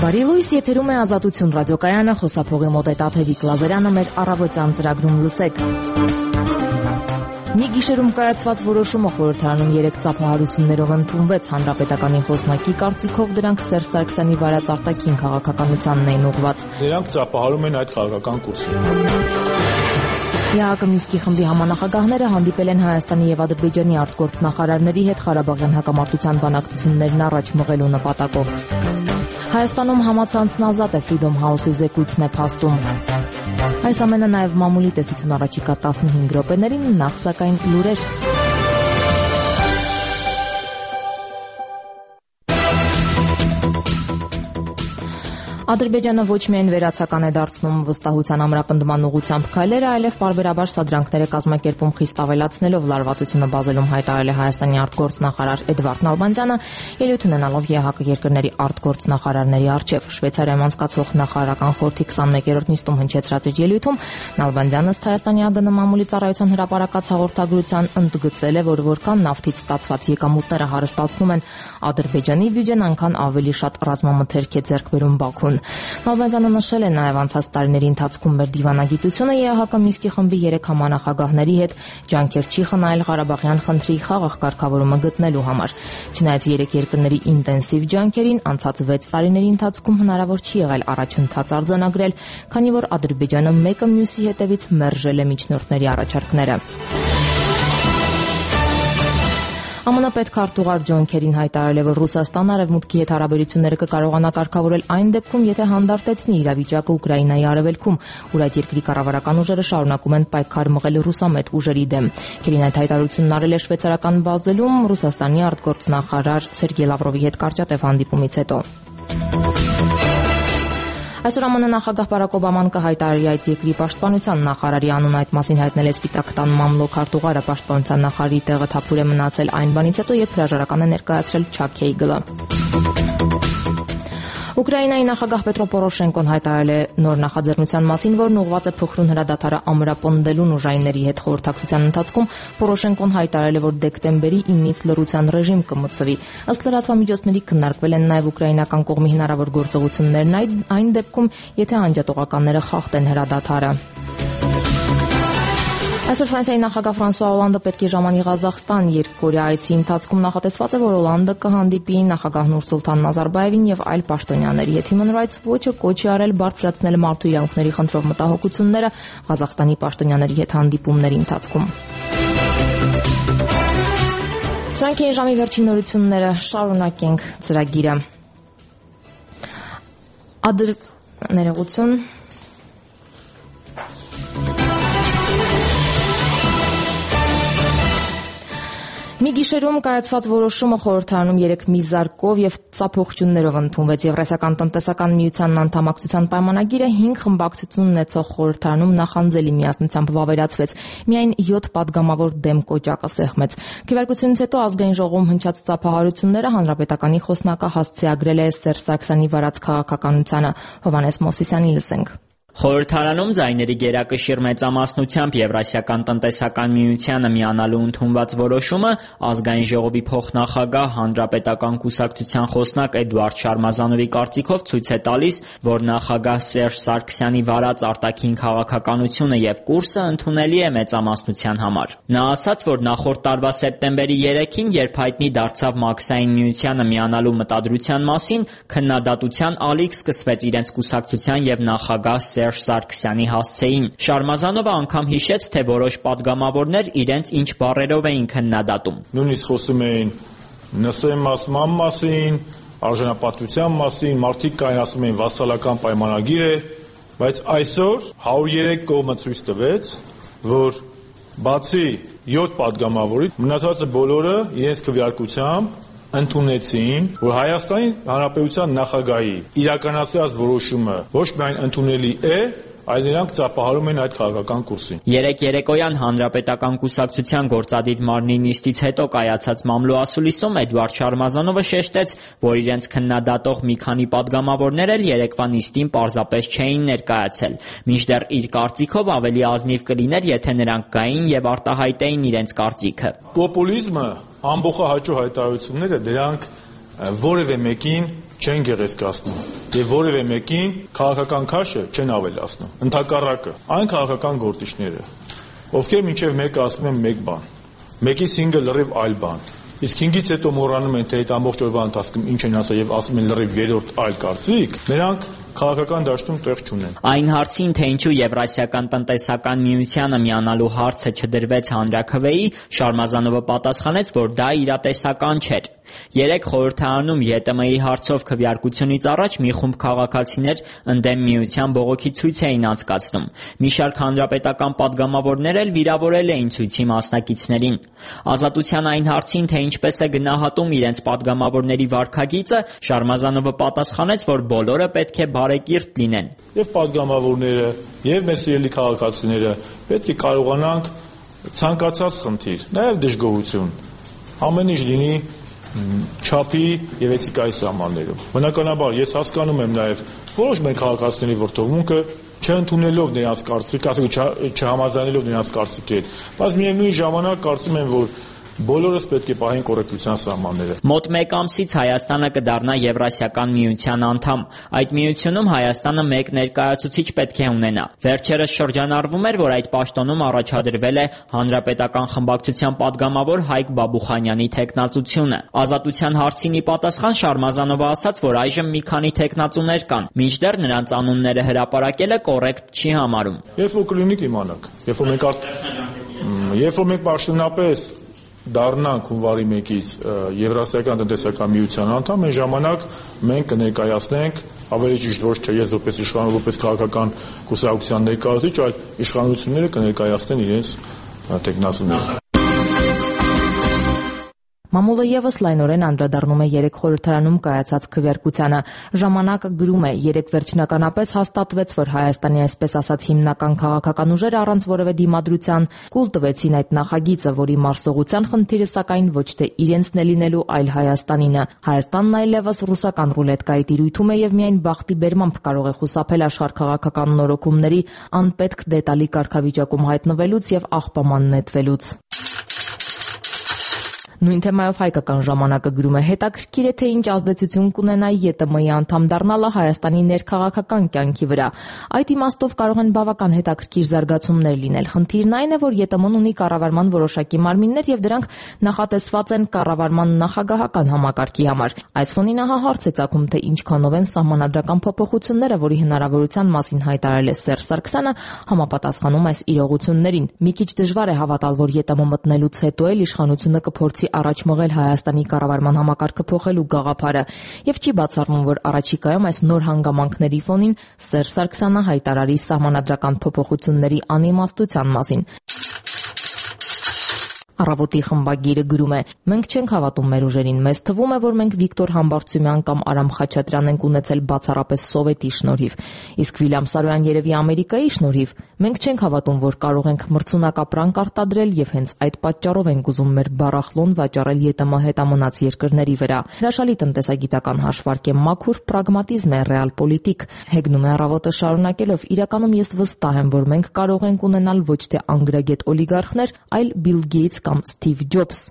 Բարի լույս, եթերում է Ազատություն ռադիոկայանը, խոսափողի մոտ է Տաթևիկ Լազարյանը, մեր առավոտյան ծրագրում լսեք։ Մի գիշերում կայացված որոշումը խորհրդարանում 3 ծափահարություններով ընդունվեց հանրապետականի խոսնակի կարծիքով դրանք Սերժ Սարգսյանի վարած արտաքին քաղաքականությանն էին ուղղված։ Դրանք ծափահարում են այդ քաղաքական կուրսին։ ԵԱՀԿ Մինսկի խմբի համանախագահները հանդիպել են Հայաստանի եւ Ադրբեջանի արտգործնախարարների հետ Ղարաբաղյան հակամարտության բանակցություններն առաջ մղելու նպատակով։ Հայաստանում համացանցն ազատ է, Freedom House-ի զեկույցն է փաստում։ Այս ամենը նաև մամուլի տեսություն առաջիկա 15 րոպեներին, նախ սակայն լուրեր։ Ադրբեջանը ոչ միայն վերացական է դարձնում վստահության ամրապնդման ուղղությամբ քայլերը, այլև պարբերաբար սադրանքներ է կազմակերպում խիստ ավելացնելով լարվածությունը բազելում հայտարարել է Հայաստանի արտգործնախարար Էդվարդ Նալբանդյանը, ելույթ ունենալով ԵԱՀԿ երկրների արտգործնախարարների առջև։ Շվեյցարիայում անցկացվող նախարարական խորհրդի 21-րդ նիստում հնչեցրած իր ելույթում Նալբանդյանը ըստ Հայաստանի ԱԳՆ մամուլի ծառայության հրապարակած հաղորդագրության ընդգծել է, որ որքան նավթից ստացված եկամուտները հարստացնում են Ադրբեջանի բյուջեն, այնքան ավելի շատ ռազմամթերք է ձեռք բերում Բաքուն։ Նալբանդյանը նշել է նաև անցած տարիների ընթացքում մեր դիվանագիտությունը ԵԱՀԿ Մինսկի խմբի 3 համանախագահների հետ ջանքեր չի խնայել Ղարաբաղյան խնդրի խաղաղ կարգավորումը գտնելու համար։ Չնայած 3 երկրների ինտենսիվ ջանքերին, անցած 6 տարիների ընթացքում հնարավոր չի եղել առաջընթաց արձանագրել, քանի որ Ադրբեջանը մեկը մյուսի հետևից մերժել է միջնորդների առաջարկները։ ԱՄՆ պետքարտուղար Ջոն Քերին հայտարարել է, որ Ռուսաստանը Արևմուտքի հետ հարաբերությունները կկարողանա կարգավորել այն դեպքում, եթե հանդարտեցնի իրավիճակը Ուկրաինայի արևելքում, ուր այդ երկրի կառավարական ուժերը շարունակում են պայքար մղել ռուսամետ ուժերի դեմ։ Քերին այդ հայտարարությունն արել է շվեյցարական Բազելում Ռուսաստանի արտգործնախարար Սերգեյ Լավրովի հետ կարճատև հանդիպումից հետո։ Այսօր ԱՄՆ նախագահ Բարակ Օբաման կհայտարարի այդ երկրի պաշտպանության նախարարի անուն, այդ մասին հայտնել է Սպիտակ տան մամլո քարտուղարը։ Պաշտպանության նախարարի տեղը թափուր է մնացել այն բանից հետո, երբ հրաժարական է ներկայացրել Չակ Հեյգլը։ Ուկրաինայի նախագահ Պետրո Պորոշենկոն հայտարարել է նոր նախաձեռնության մասին, որն ուղղված է փոխրուն հրադադարը ամրապնդելուն ուժայինների հետ խորհրդակցության ընթացքում։ Պորոշենկոն հայտարարել է, որ դեկտեմբերի 9-ից լռության ռեժիմ կմտցվի։ Ըստ լրատվամիջոցների քննարկվել են նաև ուկրաինական կողմի հնարավոր գործողություններն այն դեպքում, եթե անջատողականները խախտեն հրադադարը։ Այսօր Ֆրանսիայի նախագահ Ֆրանսուଆ Օլանդը պետք է ժամանի Ղազախստան երկկորյա այցի ընթացքում նախատեսված է, որ Օլանդը կհանդիպի նախագահ Նուրսուլտան Նազարբաևին եւ այլ պաշտոնյաների հետ։ Human Rights Watch-ը կոչ է արել բարձրացնել մարդու իրավունքների խնդրով մտահոգությունները Ղազախստանի պաշտոնյաների հետ հանդիպումների ընթացքում։ Սրանք են ժամի վերջին նորությունները, շարունակենք ծրագիրը։ Ներողություն։ Մի գիշերում կայացված որոշումը խորհրդարանում 3 միզարկով եւ ծափողջուններով ընդունվեց։ Եվրասիական տնտեսական միությանն անդամակցության պայմանագիրը 5 խմբակցություն ունեցող խորհրդարանում նախանձելի միասնությամբ վավերացվեց։ Միայն 7 падգամավոր դեմ կոճակը սեղմեց։ Քվեարկությունից հետո ազգային ժողովում հնչած ծափահարությունները հանրապետականի խոսնակը հասցեագրել է Սերժ Սարգսյանի վարած քաղաքականությանը։ Հովհաննես Մովսիսյանին լսենք։ Խորհրդարանում ձայների գերակշիռ մեծամասնությամբ Եվրասիական տնտեսական միությանը միանալու ընդունված որոշումը ազգային ժողովի փոխնախագահ հանրապետական կուսակցության խոսնակ Էդուարդ Շարմազանովի կարծիքով ցույց է տալիս, որ նախագահ Սերժ Սարգսյանի վարած արտաքին քաղաքականությունը եւ կուրսը ընդունելի է մեծամասնության համար։ Նա ասաց, որ նախորդ տարվա սեպտեմբերի 3-ին, երբ հայտնի դարձավ Մաքսային միությանը միանալու մտադրության մասին, քննադատության ալիք սկսվեց իրենց կուսակցության եւ նախագահ Սերժ Սարգսյանի հասցեին։ Շարմազանովը անգամ հիշեց, թե որոշ падգամավորներ իրենց ինչ բառերով էին քննադատում։ Նույնիսկ խոսում էին նսեմասման մասին, արժանապատվության մասին, մարդիկ կային ասում էին վասալական պայմանագիր է, բայց այսօր 103 կողմը ցույց տվեց, որ բացի 7 падգամավորից մնացածը բոլորը իրենց քվեարկությամբ ընդունեցին, որ Հայաստանի Հանրապետության նախագահի իրականացրած որոշումը ոչ միայն ընդունելի է, այլ նրանք ծափահարում են այդ քաղաքական կուրսին։ Երեկ երեկոյան Հանրապետական կուսակցության գործադիր մարմնի նիստից հետո կայացած մամլո ասուլիսում Էդուարդ Շարմազանովը շեշտեց, որ իրենց քննադատող մի քանի падգամավորներ էլ երեկվա նիստին պարզապես չէին ներկայացել, մինչդեռ իր կարծիքով ավելի ազնիվ կլիներ, եթե նրանք գային եւ արտահայտեին իրենց կարծիքը։ Պոպուլիզմը, ամբողջահաճո հայտարարությունները դրանք որևէ մեկին չեն գեղեցկացնում եւ որևէ մեկին քաղաքական քաշը չեն ավելացնում։ Ընդհակառակը, այն քաղաքական գործիչները, ովքեր մինչեւ մեկը ասում են մեկ բան, մեկից 5-ը լրիվ այլ բան, իսկ 5-ից հետո մոռանում են, թե այդ ամբողջ օրվա ընթացքում ինչ են ասել եւ ասում են լրիվ երրորդ այլ կարծիք, նրանք քաղաքական դաշտում տեղ չունեն։ Այն հարցին, թե ինչու Եվրասիական տնտեսական միությանը միանալու հարցը չդրվեց հանրաքվեի, Շարմազանովը պատասխանեց, որ դա իրատեսական չէր։ Երեկ խորհրդարանում ԵՏՄ-ի հարցով քվեարկությունից առաջ մի խումբ քաղաքացիներ ընդդեմ միության բողոքի ցույց էին անցկացնում։ Մի շարք հանրապետական պատգամավորներ էլ վիրավորել էին ցույցի մասնակիցներին։ Ազատության այն հարցին, թե ինչպես է գնահատում իրենց պատգամավորների վարքագիծը, Շարմազանովը պատասխանեց, որ բոլորը պետք է բարեկիրթ լինեն։ Եվ պատգամավորները, եւ մեր սիրելի քաղաքացիները պետք է կարողանանք ցանկացած խնդիր, նաեւ դժգոհություն, ամեն ինչ լինի չափի եւ էթիկայի սահմաններում։ Բնականաբար ես հասկանում եմ նաեւ որոշ մեր քաղաքացիների ворթողմունքը չընդունելով նրանց կարծիքը, ասենք չհամաձայնելով նրանց կարծիքին, բայց միևնույն ժամանակ կարծում եմ, որ բոլորս պետք է պահեն կոռեկտության սահմանները։ Մոտ 1 ամսից Հայաստանը կդառնա Եվրասիական միության անդամ։ Այդ միությունում Հայաստանը մեկ ներկայացուցիչ պետք է ունենա։ Վերջերս շրջանառվում էր, որ այդ պաշտոնում առաջադրվել է Հանրապետական խմբակցության падգամավոր Հայկ Բաբուխանյանի թեկնածությունը։ Ազատության հարցին ի պատասխան Շարմազանովը ասաց, որ այժմ մի քանի թեկնածուներ կան, մինչդեռ նրանց անունները հրապարակելը կոռեկտ չի համարում։ Երբ որ կլինի կիմանաք, երբ որ մենք պաշտոնապես դառնանք հունվարի 1-ից Եվրասիական տնտեսական միության անդամ, այն ժամանակ մենք կներկայացնենք ավելի ճիշտ ոչ թե ես որպես իշխանություն, որպես քաղաքական կուսակցության ներկայացուցիչ, այլ իշխանությունները կներկայացնեն իրենց տեխնացուները։ Մամուլը եւս լայնորեն անդրադառնում է երեք խորհրդարանում կայացած քվեարկությանը։ Ժամանակը գրում է, երեք վերջնականապես հաստատվեց, որ Հայաստանի այսպես ասած հիմնական քաղաքական ուժերը առանց որևէ դիմադրության կուլ տվեցին այդ նախագիծը, որի մարսողության խնդիրը սակայն ոչ թե իրենցն է լինելու, այլ Հայաստանինը։ Հայաստանն այլևս ռուսական ռուլետկայի տիրույթում է եւ միայն բախտի բերմամբ կարող է խուսափել աշխարհքաղաքական նորոգումների անպետք դետալի կարգավիճակում հայտնվելուց եւ աղբաման նետվելուց։ Նույն թեմայով հայկական ժամանակը գրում է. հետաքրքիր է, թե ինչ ազդեցություն կունենա ԵՏՄ-ի անդամ դառնալը Հայաստանի ներքաղաքական կյանքի վրա։ Այդ իմաստով կարող են բավական հետաքրքիր զարգացումներ լինել։ Խնդիրն այն է, որ ԵՏՄ-ն ունի կառավարման որոշակի մարմիններ եւ դրանք նախատեսված են կառավարման նախագահական համակարգի համար։ Այս ֆոնին ահա հարց է ծագում, թե ինչքանով են սահմանադրական փոփոխությունները, որի հնարավորության մասին հայտարարել է Սերժ Սարգսյանը, համապատասխանում այս իրողություններին։ Մի քիչ դժվար է հավատալ, որ ԵՏՄ մտնելուց հետո էլ իշխանությունը կփորձի առաջ մղել Հայաստանի կառավարման համակարգը փոխելու գաղափարը եւ չի բացառվում, որ առաջիկայում այս նոր հանգամանքների ֆոնին Սերժ Սարգսյանը հայտարարի սահմանադրական փոփոխությունների անիմաստության մասին։ Առավոտի խմբագիրը գրում է. մենք չենք հավատում մեր ուժերին, մեզ թվում է, որ մենք Վիկտոր Համբարձումյան կամ Արամ Խաչատրյան ենք ունեցել բացառապես Սովետի շնորհիվ, իսկ Վիլյամ Սարոյան երևի Ամերիկայի շնորհիվ։ Մենք չենք հավատում, որ կարող ենք մրցունակ ապրանք արտադրել եւ հենց այդ պատճառով ենք ուզում մեր բառախլոն վաճառել ԵՏՄ հետամնաց երկրների վրա։ Հրաշալի տնտեսագիտական հաշվարկ է, մաքուր պրագմատիզմ է, ռեալ պոլիտիկ։ Հեգնում է Առավոտը շարունակելով. իրականում ես վստահ եմ, որ մենք կարող ենք ունենալ ոչ թե անգրագետ օլիգարխներ, այլ Բիլ Գեյթս կամ Սթիվ Ջոբս։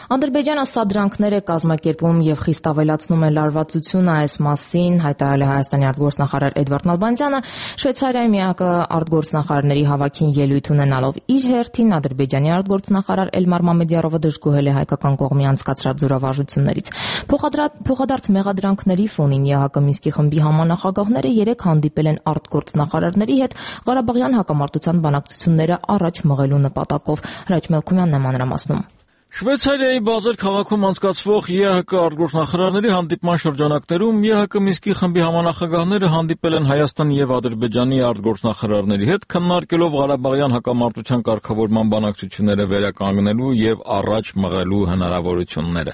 Ադրբեջանը սադրանքներ է կազմակերպում եւ խիստ ավելացնում է լարվածությունը, այս մասին հայտարարել է Հայաստանի արտգործնախարար Էդվարդ Նալբանդյանը Շվեյցարիայի միակը արտգործնախարարների հավաքին ելույթ ունենալով։ Իր հերթին Ադրբեջանի արտգործնախարար Էլմար Մամեդյարովը դժգոհել է հայկական կողմի անցկացրած զորավարժություններից։ Փոխադարձ մեղադրանքների ֆոնին ԵՀԿ Մինսկի խմբի համանախագահները երեք հանդիպել են արտգործնախարարների հետ Ղարաբաղյան հակամարտության բանակցությունները առաջ մղելու նպատակով։ Հրաչ Մելքումյանն է մանրամասնում։ Շվեյցարիայի Բազել քաղաքում անցկացվող ԵՀԿ արտգործնախարարների հանդիպման շրջանակներում ԵՀԿ Մինսկի խմբի համանախագահները հանդիպել են Հայաստանի եւ Ադրբեջանի արտգործնախարարների հետ, քննարկելով Ղարաբաղյան հակամարտության կարգավորման բանակցությունները վերականգնելու եւ առաջ մղելու հնարավորությունները։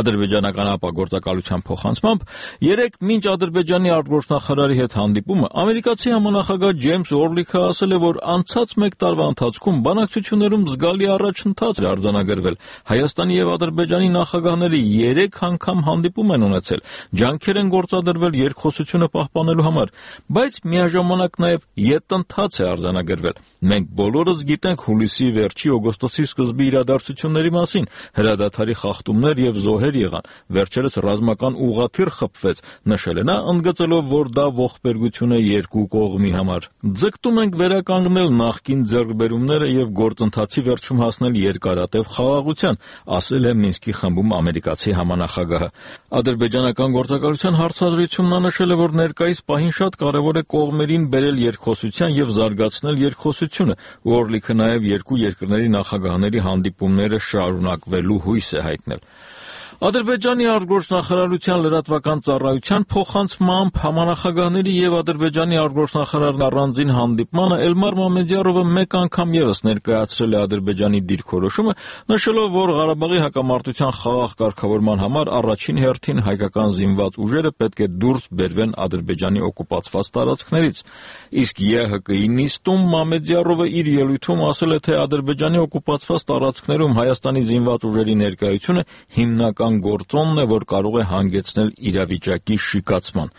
Ադրբեջանական ապագործակալության փոխանցմամբ երեք մինչ Ադրբեջանի արտգործնախարարի հետ հանդիպումը ամերիկացի համանախագահ Ջեյմս Օրլիքը ասել է, որ անցած 1 տարվա ընթացքում բանակցություններում զգալի առաջընթաց է արձանագրվել։ Հայաստանի եւ Ադրբեջանի նախագահները 3 անգամ հանդիպում են ունեցել, ջանքեր են գործադրվել երկխոսությունը պահպանելու համար, բայց միաժամանակ նաեւ ետընթաց է արձանագրվել։ Մենք բոլորս գիտենք հուլիսի վերջի օգոստոսի սկզբի իրադարձությունների մասին, հրադադարի խախտումներ եւ զոհեր եղան, վերջերս ռազմական ուղղաթիռ խփվեց, նշել է նա, ընդգծելով, որ դա ողբերգություն է երկու կողմի համար։ Ձգտում ենք վերականգնել նախկին ձեռքբերումները եւ գործընթացի վերջում հասնել երկարատև խաղաղության, ասել է Մինսկի խմբում ամերիկացի համանախագահը։ Ադրբեջանական գործակալության հարցադրությունն նշել է, որ ներկայիս պահին շատ կարևոր է կողմերին բերել երկխոսության եւ զարգացնել երկխոսությունը, Օրլիքը նաեւ երկու երկրների նախագահների հանդիպումները շարունակվելու հույս է հայտնել։ Ադրբեջանի արտգործնախարարության լրատվական ծառայության փոխանցմամբ համանախագահների եւ Ադրբեջանի արտգործնախարարի առանձին հանդիպմանը Էլմար Մամեդյարովը մեկ անգամ եւս ներկայացրել է Ադրբեջանի դիրքորոշումը, նշելով, որ Ղարաբաղի հակամարտության խաղաղ կարգավորման համար առաջին հերթին հայկական զինված ուժերը պետք է դուրս բերվեն Ադրբեջանի օկուպացված տարածքներից։ Իսկ ԵՀԿ-ի նիստում Մամեդյարովը իր ելույթում ասել է, թե Ադրբեջանի օկուպացված տարածքներում Հայաստանի զինված ուժերի ներկայությունը հիմնական գործոնն է, որ կարող է հանգեցնել իրավիճակի շիկացման։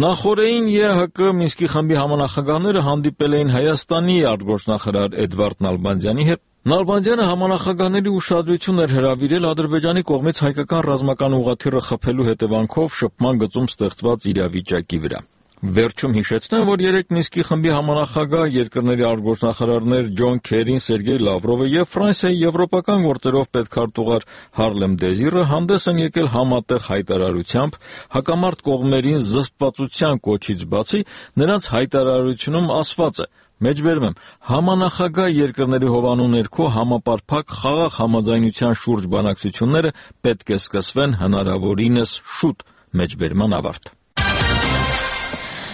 Նախորդին ԵՀԿ Մինսկի խմբի համանախագահները հանդիպել էին Հայաստանի արտգործնախարար Էդվարդ Նալբանդյանի հետ։ Նալբանդյանը համանախագահների ուշադրությունն էր հրավիրել Ադրբեջանի կողմից հայկական ռազմական ուղղաթիռը խփելու հետևանքով շփման գծում ստեղծված իրավիճակի վրա։ Վերջում հիշեցնեմ, որ 3 Մինսկի խմբի համանախագահ երկրների արտգործնախարարներ Ջոն Քերին, Սերգեյ Լավրովը եւ Ֆրանսիայի եվրոպական գործերով պետքարտուղար Հարլեմ Դեզիրը հանդես են եկել համատեղ հայտարարությամբ, հակամարտ կողմերին զսպվածության կոչից բացի նրանց հայտարարությունում ասված է. Մեջբերում եմ, համանախագահ երկրների հովանու ներքո համապարփակ խաղաղ համաձայնության շուրջ բանակցությունները պետք է սկսվեն հնարավորինս շուտ։ Մեջբերման ավարտ։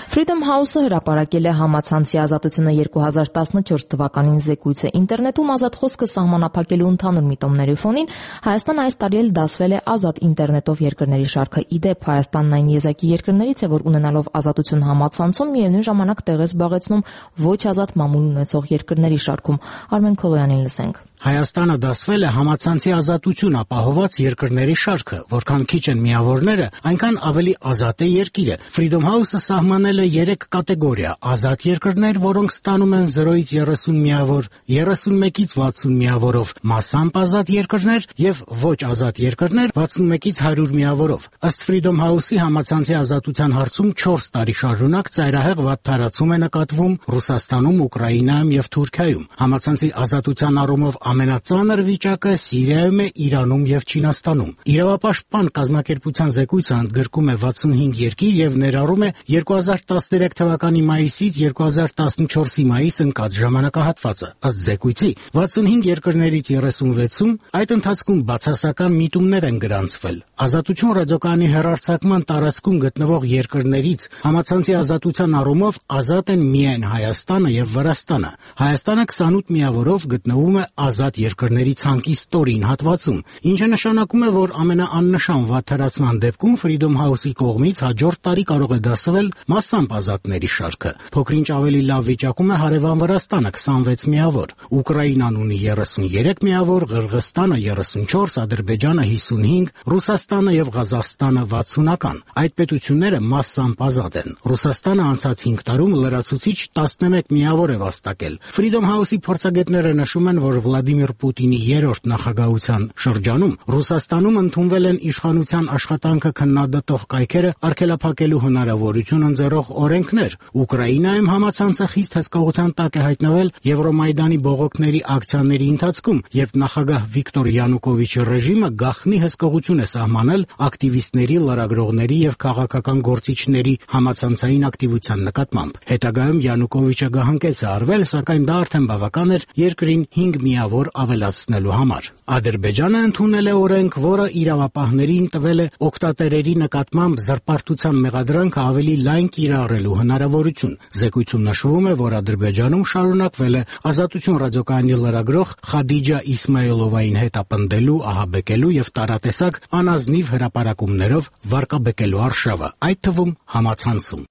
Freedom House-ը հրապարակել է համացանցի ազատությունը 2014 թվականին զեկույցը։ Ինտերնետում ազատ խոսքը սահմանափակելու ընդհանուր միտումների ֆոնին Հայաստանը այս տարի էլ դասվել է ազատ ինտերնետով երկրների շարքը։ Իդեպ Հայաստանն այն եզակի երկրներից է, որ ունենալով ազատություն համացանցում միևնույն ժամանակ տեղ է զբաղեցնում ոչ ազատ մամուլ ունեցող երկրների շարքում։ Արմեն Քոլոյանին լսենք։ Հայաստանը դասվել է համացանցի ազատություն ապահովված երկրների շարքը, որքան քիչ են միավորները, այնքան ավելի ազատ է երկիրը։ Freedom House-ը սահմանել է 3 կատեգորիա՝ ազատ երկրներ, որոնք ստանում են 0-ից 30 միավոր, 31-ից 60 միավորով, մասամբ ազատ երկրներ եւ ոչ ազատ երկրներ 61-ից 100 միավորով։ Ըստ Freedom House-ի համացանցի ազատության հարցում 4 տարի շարունակ ծայրահեղ վատթարացում է նկատվում Ռուսաստանում, Ուկրաինայում եւ Թուրքիայում։ Համացանցի ազատության առումով ամենածանր վիճակը Սիրիայում է, Իրանում եւ Չինաստանում։ Իրավապաշտպան կազմակերպության զեկույցը ընդգրկում է 65 երկիր եւ ներառում է 2013 թվականի մայիսից 2014-ի մայիս ընկած ժամանակահատվածը։ Ըստ զեկույցի 65 երկրներից 36-ում այդ ընթացքում բացասական միտումներ են գրանցվել։ Ազատություն ռադիոկայանի հեռարձակման տարածքում գտնվող երկրներից համացանցի ազատության առումով ազատ են միայն Հայաստանը եւ Վրաստանը։ Հայաստանը 28 միավորով գտնվում է ազատ երկրների ցանկի ստորին հատվածում, ինչը նշանակում է, որ ամենաաննշան վատթարացման դեպքում Freedom House-ի կողմից հաջորդ տարի կարող է դասվել մասամբ ազատների շարքը։ Փոքրինչ ավելի լավ վիճակում է հարևան Վրաստանը 26 միավոր, Ուկրաինան ունի 33 միավոր, Ղրղստանը 34, Ադրբեջանը 55, Ռուսաստանը եւ Ղազախստանը 60-ական։ Այդ պետությունները մասամբ ազատ են։ Ռուսաստանը անցած 5 տարում լրացուցիչ 11 միավոր է վաստակել։ Freedom House-ի փորձագետները նշում են, որ Վլադիմիր Պուտինի երրորդ նախագահության շրջանում Ռուսաստանում ընդունվել են իշխանության աշխատանքը քննադատող կայքերը արգելափակելու հնարավորություն ընձեռող օրենքներ։ Ուկրաինայում համացանցը խիստ հսկողության տակ է հայտնվել Եվրոմայդանի բողոքների ակցիաների ընթացքում, երբ նախագահ Վիկտոր Յանուկովիչի ռեժիմը գաղտնի հսկողություն է սահմանել ակտիվիստների, լրագրողների եւ քաղաքական գործիչների համացանցային ակտիվության նկատմամբ։ Հետագայում Յանուկովիչը գահանքեց է արվել, սակայն դա արդեն բավական էր երկրին 5 միավոր ավելացնելու համար։ Ադրբեջանը ընդունել է օրենք, որը իրավապահներին տվել է օգտատերերի նկատմամբ զրպարտության մեղադրանքը ավելի լայն կիրառելու հնարավորություն։ Զեկույցում նշվում է, որ Ադրբեջանում շարունակվել է Ազատություն ռադիոկայանի լրագրող Խադիջա Իսմայիլովային հետապնդելու, ահաբեկելու եւ տարատեսակ անազնիվ հրապարակումներով վարկաբեկելու արշավը, այդ թվում համացանցում։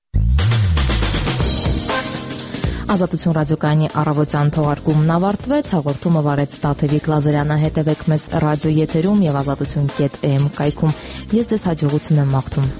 Ազատություն ռադիոկայանի առավոտյան թողարկումն ավարտվեց, հաղորդումը վարեց Տաթևիկ Լազարյանը, հետևեք մեզ ռադիո եթերում եւ azatutun.am կայքում։ Ես ձեզ հաջողություն եմ մաղթում։